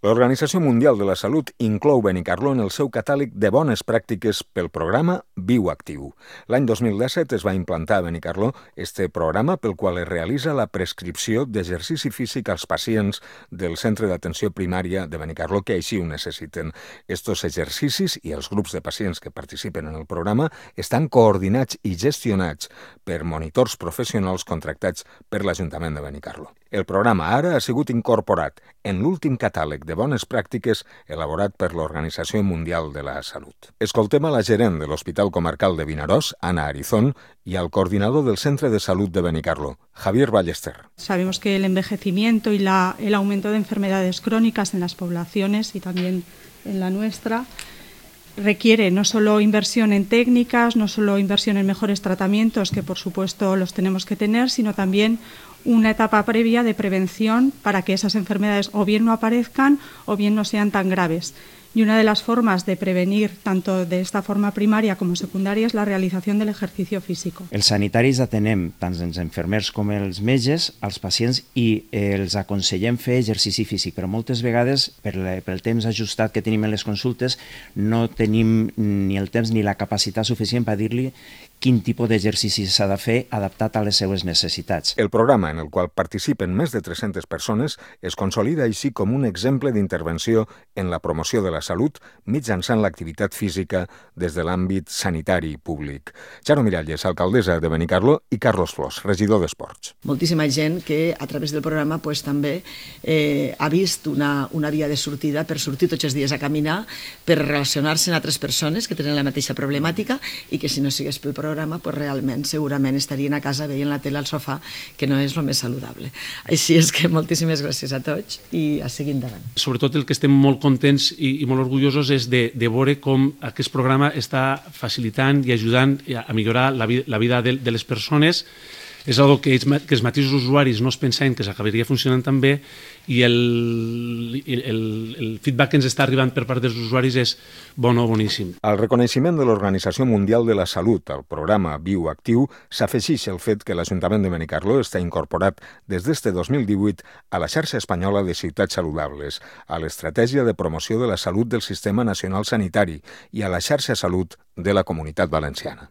L'Organització Mundial de la Salut inclou Benicarló en el seu catàleg de bones pràctiques pel programa Viuactiu. L'any 2017 es va implantar a Benicarló este programa pel qual es realitza la prescripció d'exercici físic als pacients del centre d'atenció primària de Benicarló que així ho necessiten. Estos exercicis i els grups de pacients que participen en el programa estan coordinats i gestionats per monitors professionals contractats per l'Ajuntament de Benicarló. El programa ara ha sigut incorporat en l'últim catàleg de bones pràctiques elaborat per l'Organització Mundial de la Salut. Escoltem a la gerent de l'Hospital Comarcal de Vinaròs, Ana Arizón, y al coordinador del Centre de Salud de Benicarló, Javier Ballester. Sabemos que el envejecimiento y el aumento de enfermedades crónicas en las poblaciones y también en la nuestra requiere no solo inversión en técnicas, no solo inversión en mejores tratamientos, que por supuesto los tenemos que tener, sino también una etapa previa de prevención para que esas enfermedades o bien no aparezcan o bien no sean tan graves. Y una de las formas de prevenir, tanto de esta forma primaria como secundaria, és la realització del ejercicio físico. Els sanitaris atenem tant els infermers com els metges, als pacients, i els aconsellem fer exercici físic, però moltes vegades, pel temps ajustat que tenim en les consultes, no tenim ni el temps ni la capacitat suficient per dir-li quin tipus d'exercici s'ha de fer adaptat a les seues necessitats. El programa, en el qual participen més de 300 persones, es consolida així com un exemple d'intervenció en la promoció de la salut mitjançant l'activitat física des de l'àmbit sanitari públic. Charo Miralles, alcaldessa de Benicarló, i Carlos Flors, regidor d'Esports. Moltíssima gent que a través del programa també ha vist una via de sortida per sortir tots els dies a caminar, per relacionar-se amb altres persones que tenen la mateixa problemàtica i que si no sigués pel programa realment segurament estarien a casa veient la tele al sofà, que no és el més saludable. Així és que moltíssimes gràcies a tots i a seguir endavant. Sobretot el que estem molt contents i molt orgullosos és de veure com aquest programa està facilitant i ajudant a millorar la vida de les persones. És una cosa que els mateixos usuaris no es pensaven que s'acabaria funcionant tan bé i el feedback que ens està arribant per part dels usuaris és boníssim. Al reconeixement de l'Organització Mundial de la Salut al programa Viuactiu s'afegeix el fet que l'Ajuntament de Benicarló està incorporat des d'este 2018 a la xarxa espanyola de ciutats saludables, a l'estratègia de promoció de la salut del Sistema Nacional Sanitari i a la xarxa Salut de la Comunitat Valenciana.